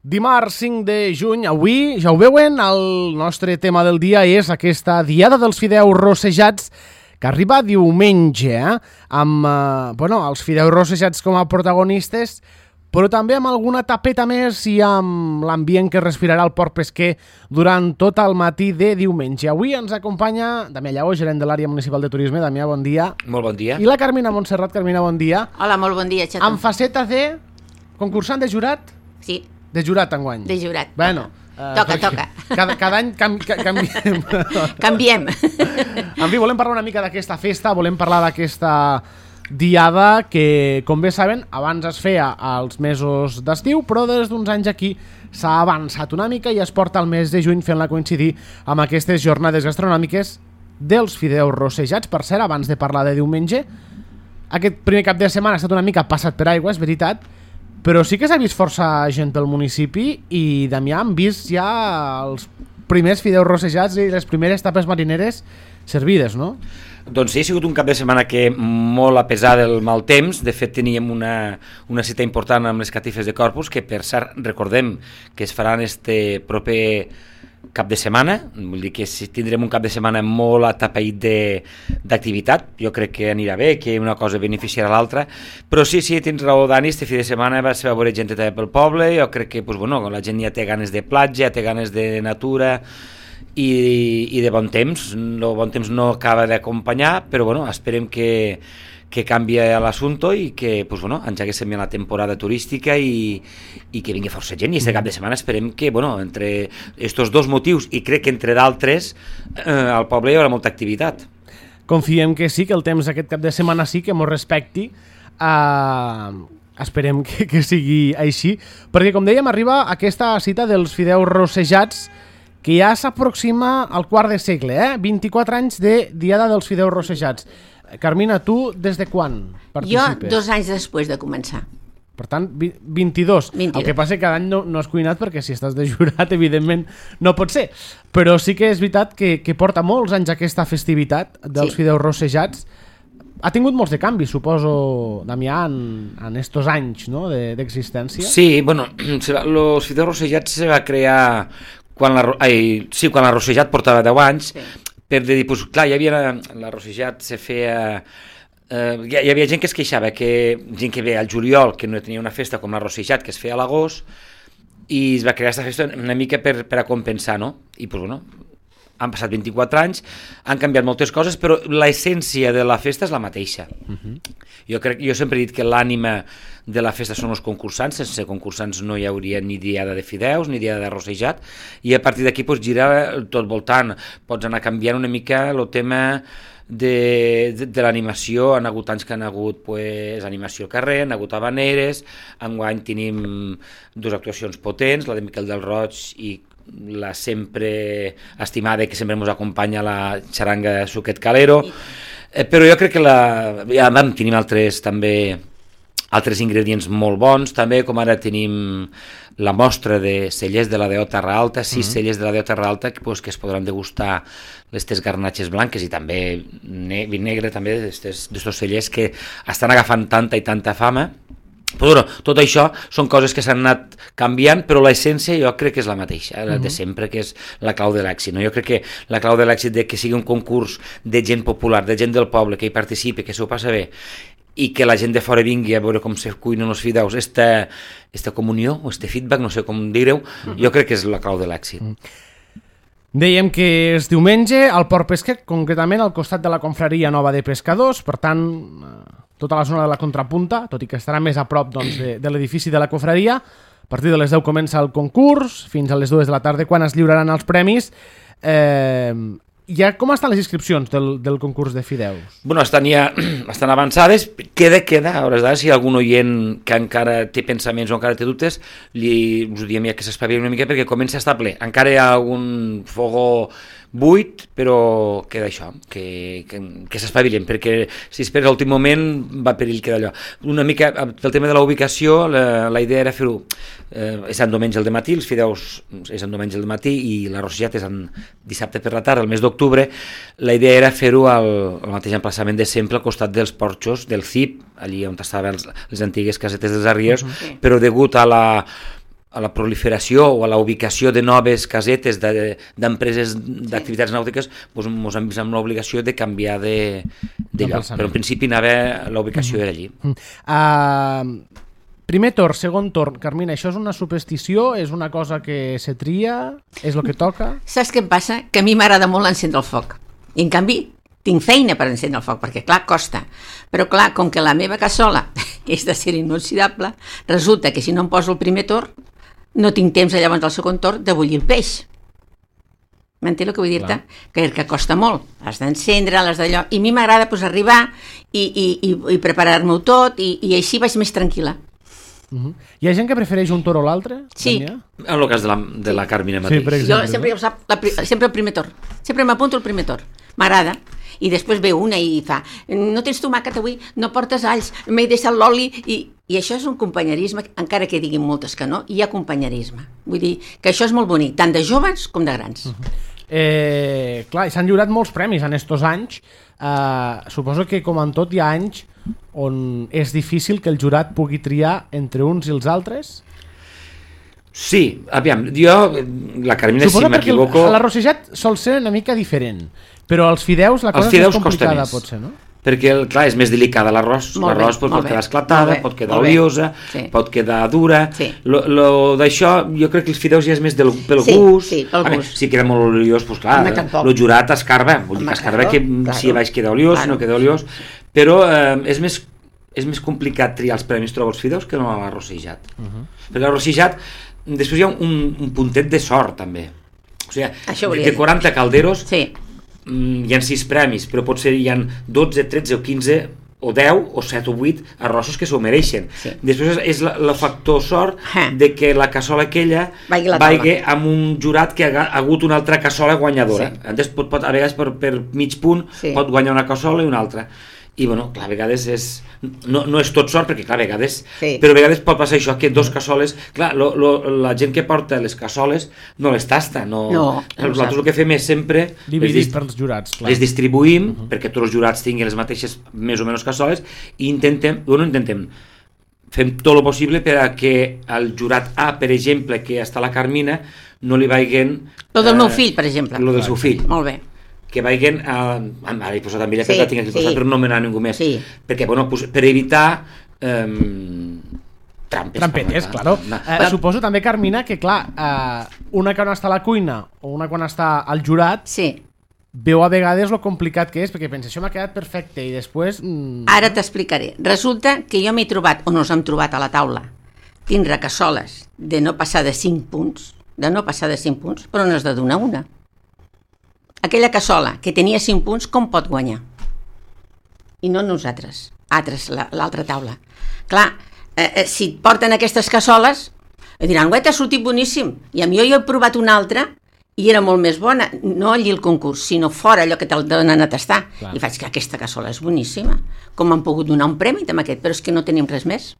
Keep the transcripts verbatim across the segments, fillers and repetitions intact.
Dimarts cinc de juny, avui, ja ho veuen, el nostre tema del dia és aquesta Diada dels Fideus Rossejats que arriba diumenge, eh? amb eh, bueno, els fideus rossejats com a protagonistes, però també amb alguna tapeta més i amb l'ambient que respirarà el port pesquer durant tot el matí de diumenge. Avui ens acompanya Damià Lleó, gerent de l'àrea municipal de turisme. Damià, bon dia. Molt bon dia. I la Carmina Montserrat. Carmina, bon dia. Hola, molt bon dia, xato. Amb faceta de concursant de jurat? Sí. De jurat enguany. De jurat. Bueno. Uh, toca, toca. Cada, cada any cam, ca, canviem. Canviem. En fi, volem parlar una mica d'aquesta festa, volem parlar d'aquesta diada que, com bé saben, abans es feia als mesos d'estiu, però des d'uns anys aquí s'ha avançat una mica i es porta el mes de juny fent-la coincidir amb aquestes jornades gastronòmiques dels fideus rossejats. Per cert, abans de parlar de diumenge, aquest primer cap de setmana ha estat una mica passat per aigua, és veritat, però sí que s'ha vist força gent pel municipi i, Damià, hem vist ja els primers fideus rossejats i les primeres tapes marineres servides, no? Doncs sí, ha sigut un cap de setmana que molt a pesar del mal temps. De fet, teníem una, una cita important amb les catifes de Corpus, que per cert, recordem que es faran este proper cap de setmana, vull dir que tindrem un cap de setmana molt atapeït d'activitat. Jo crec que anirà bé, que una cosa beneficiarà l'altra, però sí, sí, tens raó, Dani, este fi de setmana va ser a veure gent també pel poble. Jo crec que pues, bueno, la gent ja té ganes de platja, té ganes de natura i, i de bon temps. El bon temps no acaba d'acompanyar, però bueno, esperem que que canvia l'assumpte i que pues, bueno, engeguéssim la temporada turística i, i que vingui força gent. I aquest cap de setmana esperem que, bueno, entre estos dos motius, i crec que entre d'altres, eh, al poble hi haurà molta activitat. Confiem que sí, que el temps aquest cap de setmana sí, que mos respecti. Uh, esperem que, que sigui així, perquè, com dèiem, arriba aquesta cita dels fideus rossejats que ja s'aproxima al quart de segle, eh? vint-i-quatre anys de Diada dels Fideus Rossejats. Carmina, tu des de quan participes? Jo dos anys després de començar. Per tant, vint-i-dos. vint-i-dos. El que passa que cada any no, no has cuinat perquè si estàs de jurat, evidentment, no pot ser. Però sí que és veritat que, que porta molts anys aquesta festivitat dels sí. fideus rossejats. Ha tingut molts de canvis, suposo, Damià, en, en estos anys, no?, d'existència. Sí, bueno, los fideus rossejats se va crear quan la, ai, sí, quan la rossejat portava deu anys, sí. Per dir, pues, clar, hi havia la rossejat se feia... Eh, hi, hi havia gent que es queixava, que gent que ve al juliol, que no tenia una festa com la rossejat, que es feia a l'agost, i es va crear aquesta festa una mica per, per a compensar, no? I, pues, bueno, han passat vint-i-quatre anys, han canviat moltes coses, però l'essència de la festa és la mateixa. Uh-huh. Jo crec, jo sempre he dit que l'ànima de la festa són els concursants. Sense concursants no hi hauria ni diada de fideus ni diada de rossejat, i a partir d'aquí pues, gira tot voltant. Pots anar canviant una mica el tema de, de, de l'animació. Han hagut anys que han hagut pues, animació al carrer, han hagut habaneres. Enguany tenim dues actuacions potents, la de Miquel del Roig i la sempre estimada, que sempre ens acompanya, la xaranga de Suquet Calero. Eh, però jo crec que la, ja, vam, tenim altres també altres ingredients molt bons, també, com ara tenim la mostra de cellers de la Déu Terra Alta, sis uh-huh. cellers de la Déu Terra Alta que, pues, que es podran degustar aquestes garnatxes blanques i també ne vi negre, també d'aquests cellers que estan agafant tanta i tanta fama. Però bueno, tot això són coses que s'han anat canviant, però l'essència jo crec que és la mateixa, la de sempre, que és la clau de l'èxit. No? Jo crec que la clau de l'èxit de que sigui un concurs de gent popular, de gent del poble, que hi participi, que s'ho passa bé, i que la gent de fora vingui a veure com se cuinen els fideus, esta, esta comunió, o este feedback, no sé com dir-ho, uh-huh. jo crec que és la clau de l'èxit. Uh-huh. Dèiem que és diumenge al Port Pesquer, concretament al costat de la Confraria Nova de Pescadors, per tant, tota la zona de la Contrapunta, tot i que estarà més a prop doncs, de, de l'edifici de la Confraria. A partir de les deu comença el concurs, fins a les dues de la tarda, quan es lliuraran els premis. Eh, ja com estan les inscripcions del, del concurs de fideus? Bueno, estan ja estan avançades. Queda, queda, a hores d'ara, si hi ha algun oient que encara té pensaments o encara té dubtes, li, us ho diem ja que s'espavili una mica perquè comença a estar ple. Encara hi ha algun fogó buit, però queda això, que, que, que s'espavilen, perquè si esperes a l'últim moment va perill quedar allò. Una mica, pel tema de la ubicació, la, la idea era fer-ho, eh, és en diumenge al matí, els fideus és en diumenge al matí i la rossejat és en dissabte per la tarda, el mes d'octubre. La idea era fer-ho al, al mateix emplaçament de sempre, al costat dels porxos del C I P, allí on estaven les antigues casetes dels Arriers, uh-huh. però degut a la a la proliferació o a la ubicació de noves casetes d'empreses de, d'activitats nàutiques, doncs ens hem vist amb l'obligació de canviar de, de lloc. Però en principi anava, l'ubicació era allí. Uh, primer torn, segon torn. Carmina, això és una superstició? És una cosa que se tria? És el que toca? Saps què em passa? Que a mi m'agrada molt encendre el foc. I en canvi, tinc feina per encendre el foc, perquè clar, costa. Però clar, com que la meva cassola és d'acer inoxidable, resulta que si no em poso el primer torn, no tinc temps llavors al segon torn de bullir el peix. M'entens el que vull dir-te? Que, que costa molt. L'has d'encendre, l'has d'allò... I a mi m'agrada pues, arribar i, i, i, i preparar-m'ho tot i, i així vaig més tranquil·la. Uh-huh. Hi ha gent que prefereix un toro o l'altre? Sí. En el cas de la, de la Carmina mateix. Sí, per exemple, jo sempre, ja ho sap, la, sempre el primer torn. Sempre m'apunto el primer torn. M'agrada. I després ve una i fa, no tens tomàquet avui, no portes alls, m'he deixat l'oli, i, i això és un companyerisme, encara que diguin moltes que no, hi ha companyerisme. Vull dir que això és molt bonic, tant de joves com de grans. Uh-huh. eh, clar, s'han lliurat molts premis en estos anys. Eh, suposo que, com en tot, hi ha anys on és difícil que el jurat pugui triar entre uns i els altres. Sí, aviam, jo, la Carmina, Suposo si m'equivoco... La Rosejat sol ser una mica diferent, però els fideus la cosa els fideus és més complicada, més. potser, no? Perquè, clar, és més delicada l'arròs. L'arròs pot, pot quedar esclatada, pot quedar oliosa, sí. pot quedar dura. Sí. Lo, lo d'això, jo crec que els fideus ja és més del, pel sí, gust. Sí, pel veure, gust. si queda molt oliós, doncs clar, el jurat escarba. Vull dir que escarba que claro, si baix queda oliós, claro. si no queda oliós. Però eh, és més... és més complicat triar els premis, trobo els fideus, que no l'arrossejat. Uh-huh. Perquè l'arrossejat, després hi ha un, un puntet de sort, també. O sigui, de quaranta calderos, sí. hi ha sis premis, però potser hi ha dotze, tretze o quinze, o deu, o set o vuit arrossos que s'ho mereixen. Sí. Després és el factor sort de que la cassola aquella vagi amb un jurat que ha hagut una altra cassola guanyadora. Sí. Antes, pot, pot, a vegades per, per mig punt, sí. pot guanyar una cassola i una altra. I bueno, clar, a vegades és no, no és tot sort, perquè clar, a vegades sí. però a vegades pot passar això, que dos cassoles clar, lo, lo, la gent que porta les cassoles no les tasta, no, no, no nosaltres el que fem és sempre dividir per els jurats, clar. Les distribuïm uh-huh. perquè tots els jurats tinguin les mateixes més o menys cassoles i intentem, bueno, intentem fem tot el possible per a que el jurat A, per exemple, que està a la Carmina, no li vagin lo del eh, meu fill, per exemple, lo del seu fill, molt bé, que vagin a... Ara he posat també, sí, la tinc aquí sí. posat, però no me n'ha ningú més. Sí. Perquè, bueno, pues, per evitar eh, trampes. Trampetes, claro. No. Eh, suposo també, Carmina, que clar, eh, una quan està a la cuina o una quan està al jurat, sí. veu a vegades lo complicat que és, perquè pensa, això m'ha quedat perfecte, i després... Mm... Ara t'explicaré. Resulta que jo m'he trobat, o nos hem trobat a la taula, tindre cassoles de no passar de cinc punts, de no passar de cinc punts, però no has de donar una. Aquella cassola que tenia cinc punts, com pot guanyar? I no nosaltres, altres, l'altra taula. Clar, eh, eh, si et porten aquestes cassoles, diran, ué, t'ha sortit boníssim. I a mi jo he provat una altra i era molt més bona, no allí al concurs, sinó fora, allò que te'l donen a tastar. Clar. I faig que aquesta cassola és boníssima. Com m'han pogut donar un premi amb aquest? Però és que no tenim res més.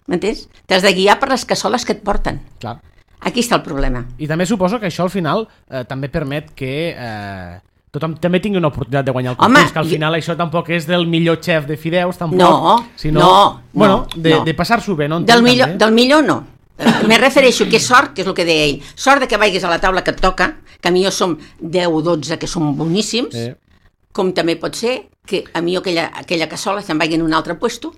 M'entens? T'has de guiar per les cassoles que et porten. Clar. Aquí està el problema. I també suposo que això al final eh, també permet que eh, tothom també tingui una oportunitat de guanyar el concurs, Home, que al final jo... això tampoc és del millor xef de fideus, tampoc, no, sinó no, bueno, de, no. de passar-s'ho bé, no? Del millor, del millor no. Me refereixo que és sort, que és el que deia ell, sort de que vagis a la taula que et toca, que a mi jo som deu o dotze que som boníssims, eh. com també pot ser que a mi aquella, aquella cassola se'n vagi en un altre puesto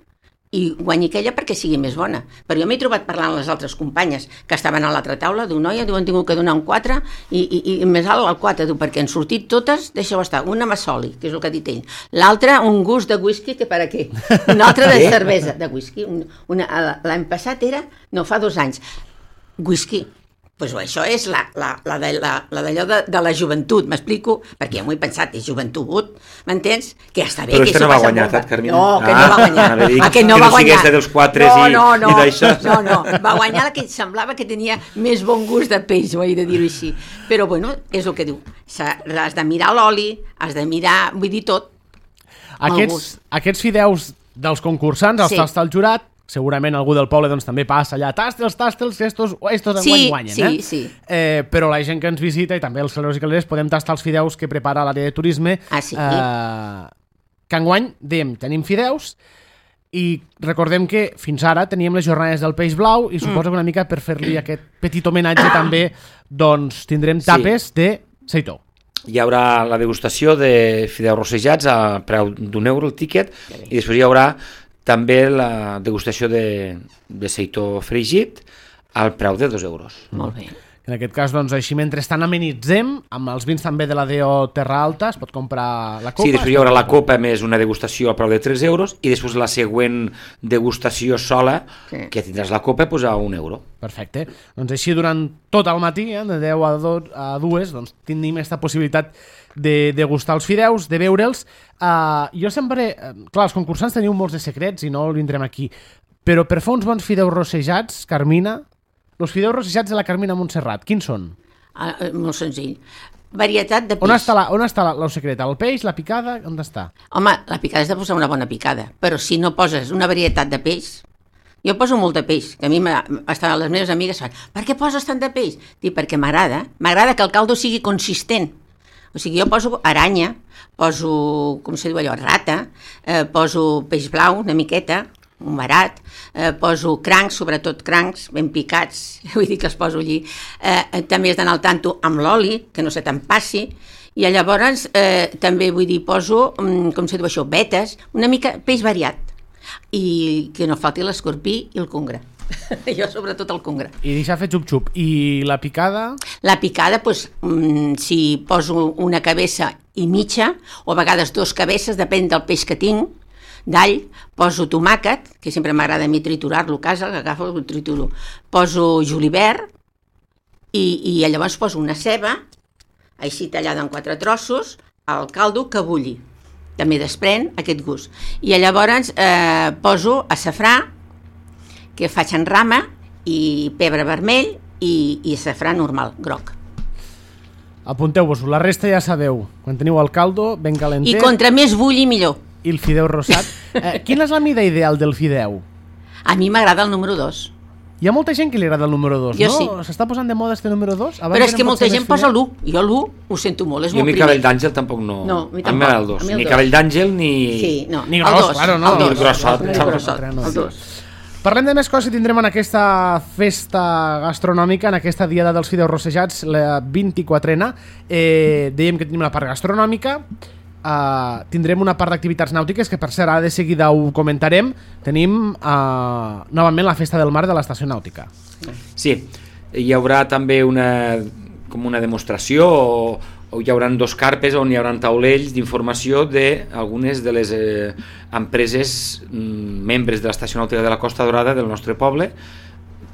i guanyi aquella perquè sigui més bona. Però jo m'he trobat parlant amb les altres companyes que estaven a l'altra taula, diu, noia, diu, han tingut que donar un quatre i, i, i més alt el quatre, diu, perquè han sortit totes, deixeu estar, una massoli, que és el que ha dit ell, l'altra un gust de whisky, que per a què? Una altra de cervesa, de whisky, un, una, l'any passat era, no, fa dos anys, whisky. Pues això és la, la, la, de, la, la d'allò de, de la joventut, m'explico, perquè ja m'ho he pensat, és joventut, m'entens? Que ja està bé. Però que este no va guanyar, saps, Carmina? No, que ah, no va guanyar. Ah, dir, que no que va no guanyar. Dels quatre no, i, no, no, i d'això. No, no, va guanyar la que semblava que tenia més bon gust de peix, ho he de dir-ho així. Però, bueno, és el que diu. Has de mirar l'oli, has de mirar, vull dir tot. Aquests, aquests fideus dels concursants, els sí. tasta el jurat, segurament algú del poble doncs, també passa allà, tastels, tastels, que estos, estos sí, guanyen, sí, eh? Sí. Eh, però la gent que ens visita i també els calés i calés podem tastar els fideus que prepara l'àrea de turisme. Ah, sí? Eh, que enguany, dèiem, tenim fideus I recordem que fins ara teníem les jornades del peix blau i suposo que una mica per fer-li aquest petit homenatge també doncs tindrem tapes sí. de seitó. Hi haurà la degustació de fideus rossejats a preu d'un euro el tíquet i després hi haurà també la degustació de, de seitó fregit al preu de dos euros. Molt bé. En aquest cas, doncs, així mentrestant amenitzem, amb els vins també de la D O Terra Alta, es pot comprar la copa. Sí, després hi haurà la copa més una degustació a preu de tres euros i després la següent degustació sola, sí. que tindràs la copa, pues, a un euro. Perfecte. Doncs així durant tot el matí, eh, de deu a dues, doncs, tenim aquesta possibilitat de degustar els fideus, de veure'ls. Uh, jo sempre... Clar, els concursants teniu molts de secrets i no el vindrem aquí, però per fer uns bons fideus rossejats, Carmina... Els fideus rossejats de la Carmina Montserrat, quins són? Ah, molt senzill. Varietat de peix. On està, la, on està la, el secret? El peix, la picada? On està? Home, la picada és de posar una bona picada, però si no poses una varietat de peix... Jo poso molt de peix, que a mi estan les meves amigues fan, per què poses tant de peix? Dic, perquè m'agrada, m'agrada que el caldo sigui consistent. O sigui, jo poso aranya, poso, com se diu allò, rata, eh, poso peix blau, una miqueta, un barat, eh, poso crancs, sobretot crancs, ben picats, vull dir que els poso allí. Eh, també has d'anar al tanto amb l'oli, que no se te'n passi, i llavors eh, també vull dir, poso, com se diu això, vetes, una mica peix variat, i que no falti l'escorpí i el congre. Jo sobretot el congre. I deixar fer xup-xup. I la picada? La picada, doncs, si poso una cabeça i mitja, o a vegades dos cabeces, depèn del peix que tinc, d'all, poso tomàquet, que sempre m'agrada a mi triturar-lo a casa, l'agafo i el trituro. Poso julivert i, i llavors poso una ceba, així tallada en quatre trossos, al caldo que bulli. També desprèn aquest gust. I llavors eh, poso açafrà, que faig en rama, i pebre vermell i, i açafrà normal, groc. Apunteu-vos-ho, la resta ja sabeu. Quan teniu el caldo, ben calentet... I contra més bulli, millor. I el fideu rosat. Eh, quina és la mida ideal del fideu? A mi m'agrada el número dos. Hi ha molta gent que li agrada el número dos, jo no? Sí. S'està posant de moda este número dos? Abans però és que molta gent posa l'u. Jo l'u ho sento molt, és jo molt primer. Jo mi cabell d'àngel tampoc no... No, mi tampoc. A mi m'agrada el dos. Ni cabell d'àngel ni... Sí, no. Ni gros, dos. Claro, no. El dos. Ni grossot. El grossot. El dos. Parlem de més coses que tindrem en aquesta festa gastronòmica, en aquesta diada dels fideus rossejats, la vint-i-quatrena. Eh, dèiem que tenim la part gastronòmica, Uh, tindrem una part d'activitats nàutiques que per cert ara de seguida ho comentarem. Tenim uh, novament la festa del mar de l'estació nàutica. Sí, hi haurà també una, com una demostració o, o hi haurà dos carpes on hi haurà taulells d'informació d'algunes de les eh, empreses mm, membres de l'estació nàutica de la Costa Dorada del nostre poble,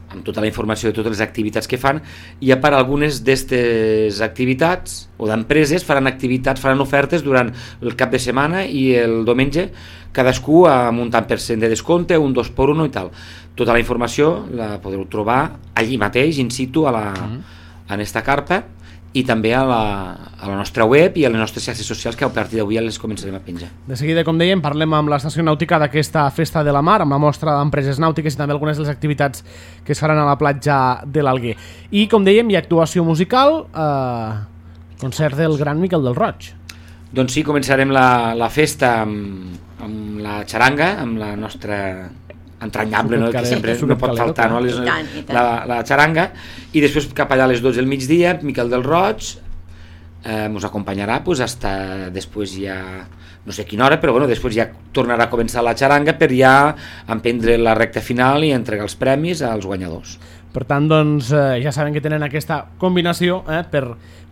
amb tota la informació de totes les activitats que fan, i a part algunes d'aquestes activitats o d'empreses faran activitats, faran ofertes durant el cap de setmana i el diumenge, cadascú amb un tant per cent de descompte, un dos per un i tal. Tota la informació la podeu trobar allí mateix, in situ, a la, en esta carpa, i també a la, a la nostra web i a les nostres xarxes socials, que a partir d'avui ja les començarem a penjar. De seguida, com dèiem, parlem amb l'estació nàutica d'aquesta festa de la mar, amb la mostra d'empreses nàutiques i també algunes de les activitats que es faran a la platja de l'Alguer. I, com dèiem, hi ha actuació musical, eh, concert del gran Miquel del Roig. Doncs sí, començarem la, la festa amb, amb la xaranga, amb la nostra... entranyable, no? Que sempre no pot faltar, no? Les, I tant, i tant. La, la xaranga, i després cap allà a les dotze del migdia Miquel del Roig eh, ens acompanyarà pues, hasta després ja no sé quina hora, però bueno, després ja tornarà a començar la xaranga per ja emprendre la recta final i entregar els premis als guanyadors. Per tant, doncs, eh, ja saben que tenen aquesta combinació eh, per,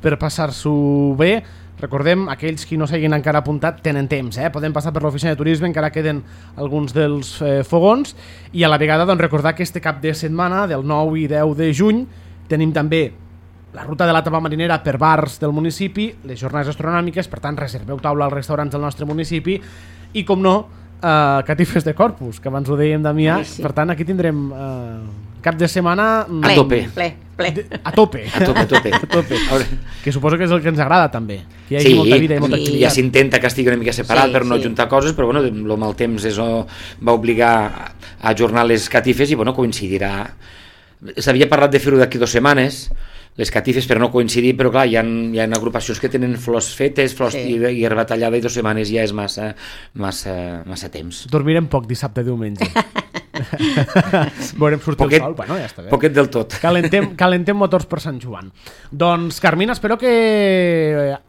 per passar-s'ho bé. Recordem, aquells qui no s'hagin encara apuntat tenen temps, eh? Poden passar per l'oficina de turisme, encara queden alguns dels eh, fogons, i a la vegada doncs, recordar que este cap de setmana, del nou i deu de juny, tenim també la ruta de la tapa marinera per bars del municipi, les jornades astronòmiques, per tant reserveu taula als restaurants del nostre municipi, i com no, eh, catifes de Corpus, que abans ho dèiem, Damià, sí, sí. Per tant aquí tindrem eh, cap de setmana... A tope. Ple, ple. De, a tope. A tope, a tope. A tope. Que suposo que és el que ens agrada també, que hi hagi sí, molta vida i molta sí. activitat. Ja s'intenta que estigui una mica separat sí, per no sí. juntar coses, però bueno, el mal temps és, oh, va obligar a ajornar les catifes i bueno, coincidirà. S'havia parlat de fer-ho d'aquí dues setmanes, les catifes per no coincidir, però clar, hi ha, hi ha agrupacions que tenen flors fetes, flors sí. i, i herba tallada, i dues setmanes ja és massa, massa, massa temps. Dormirem poc dissabte i diumenge. Veurem sortir poquet, el sol, bueno, ja està bé. Poquet del tot. Calentem, calentem motors per Sant Joan. Doncs, Carmina, espero que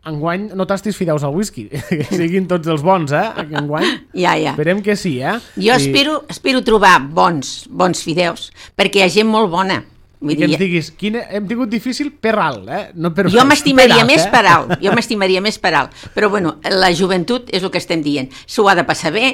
enguany no tastis fideus al whisky, que siguin tots els bons, eh? Enguany. Ja, ja. Esperem que sí, eh? Jo I... espero, espero trobar bons, bons fideus, perquè hi ha gent molt bona. Vull I que dir... ens diguis, quin... hem tingut difícil per alt, eh? No per jo m'estimaria més eh? per alt, jo m'estimaria més per alt, però bueno, la joventut és el que estem dient, s'ho ha de passar bé,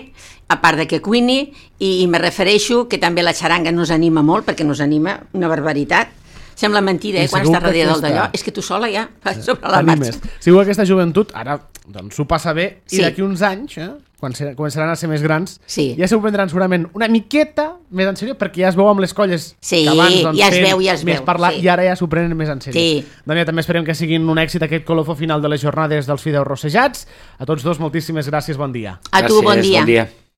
a part de que cuini, i, i me refereixo que també la xaranga nos anima molt, perquè nos anima una barbaritat. Sembla mentida, eh, quan estàs darrere del d'allò. És que tu sola ja vas sobre la marxa. Segur que aquesta joventut ara doncs s'ho passa bé i sí. d'aquí uns anys, eh, quan se, començaran a ser més grans, sí. ja s'ho prendran segurament una miqueta més en sèrio, perquè ja es veu amb les colles sí, que abans doncs, ja es veu, ja es més veu, parlar, sí. i ara ja s'ho prenen més en sèrio. Sí. Daniel, també esperem que siguin un èxit aquest colofó final de les jornades dels fideus rossejats. A tots dos, moltíssimes gràcies, bon dia. A tu, gràcies, bon dia. Bon dia.